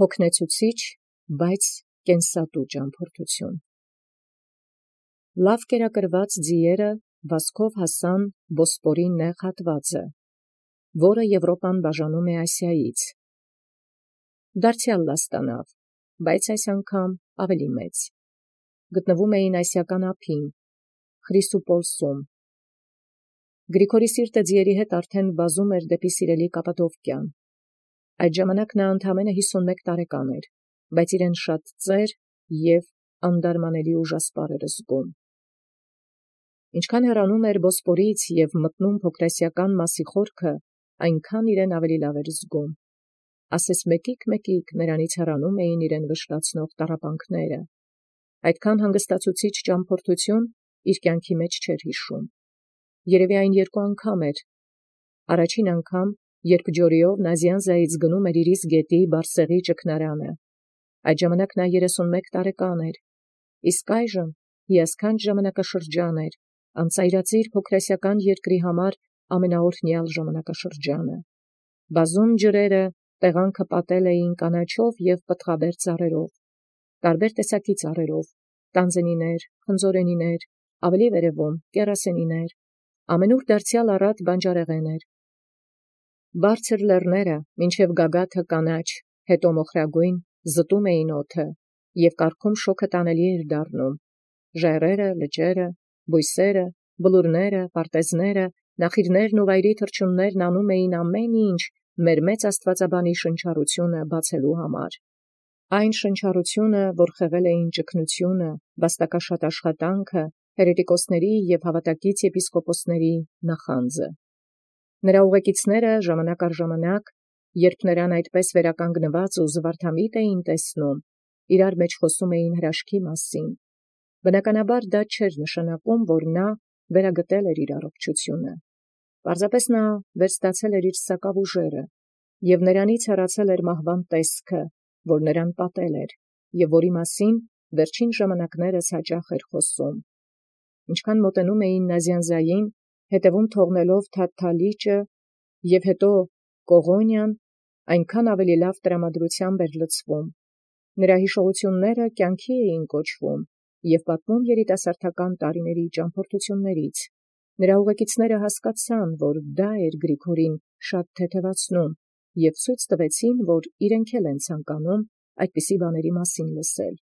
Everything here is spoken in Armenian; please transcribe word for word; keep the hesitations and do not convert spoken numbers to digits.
հոգնեցուցիչ, բայց կենսատու ճամփորդություն։ Լավ կերակրված ձիերը վազքով հասան Բոսպորի նեղ հատվածը, որը Եվրոպան բաժանում է Ասիայից։ Դարձյալ լաստանավ, բայց այս անգամ ավելի մեծ։ Գտնվում էին ասիական ափին, Խրիսուպոլսում։ Գրիգորի սիրտը ձիերի հետ արդեն վազում էր դեպի սիրելի Կապադովկիան։ Այդ ժամանակ նա ընդամենը հիսունմեկ տարեկան էր, բայց իրեն շատ ծեր և անդարմանելի ուժասպառ էր զգում։ Ինչքան հեռանում էր Բոսպորից և մտնում փոքրասիական Մասի խորքը, այնքան իրեն ավելի լավ էր զգում։ Ասես մեկիկ-մեկիկ նրանից հեռանում էին իրեն վշտացնող տառապանքները։ Այդքան հանգստացուցիչ ճամփորդություն իր կյանքի մեջ չէր հիշում։ Երևի այն երկու անգամ էր։ Առաջին անգամ, երբ ջորիով Նազյանզայից գնում էր իր իսկ գետի Բարսեղի ճգնարանը։ Այդ ժամանակ նա երեսունմեկ տարեկան էր, իսկ այժմ հիասքանչ ժամանակաշրջան էր, անծայրածիր փոքրասիական երկրի համար ամենաօրհնյալ ժամանակաշրջանը։ Բազում ջրերը տեղանքը պատել էին կանաչով և պտղաբեր ծառերով, տարբեր տեսակի ծառերով, տանձենիներ, խնձորենիներ, ավելի վերևում կեռասենիներ, ամենուր դարձյալ առատ բանջարեղեն էր։ Բարձր լեռները, մինչև գագաթը կանաչ, հետո մոխրագույն, զտում էին օդը, և կառքում շոգը տանելի էր դառնում։ Ժայռերը, լճերը, բույսերը, բլուրները, պարտեզները, նախիրներն ու վայրի թռչուններն անում էին ամեն ինչ մեր մեծ աստվածաբանի շնչառությունը բացելու համար։ Այն շնչառությունը, որ խեղել էին ճգնությունը, վաստակաշատ աշխատանքը, հերետիկոսների և հավատակից եպիսկոպոսների նախանձը։ Նրա ուղեկիցները ժամանակ առ ժամանակ, երբ նրան այդպես վերականգնված ու զվարթամիտ էին տեսնում, իրար մեջ խոսում էին հրաշքի մասին։ Բնականաբար դա չէր նշանակում, որ նա վերագտել էր իր առողջությունը։ Պարզապես նա վերստացել էր իր սակավ ուժերը, և նրանից հեռացել էր մահվան տեսքը, որ նրան պատել էր, և որի մասին վերջին ժամանակներս հաճախ էր խոսում։ Ինչքան մոտենում էին Նազյանզային, հետևում թողնելով Թաթթա լիճը և հետո Կողոնիան, այնքան ավելի լավ տրամադրությամբ էր լցվում։ Նրա հիշողությունները կյանքի էին կոչվում և պատմում երիտասարդական տարիների ճամփորդություններից։ Նրա ուղեկիցները հասկացան, որ դա էր Գրիգորին շատ թեթևացնում, և ցույց տվեցին, որ իրենք էլ են ցանկանում այդպիսի բաների մասին լսել։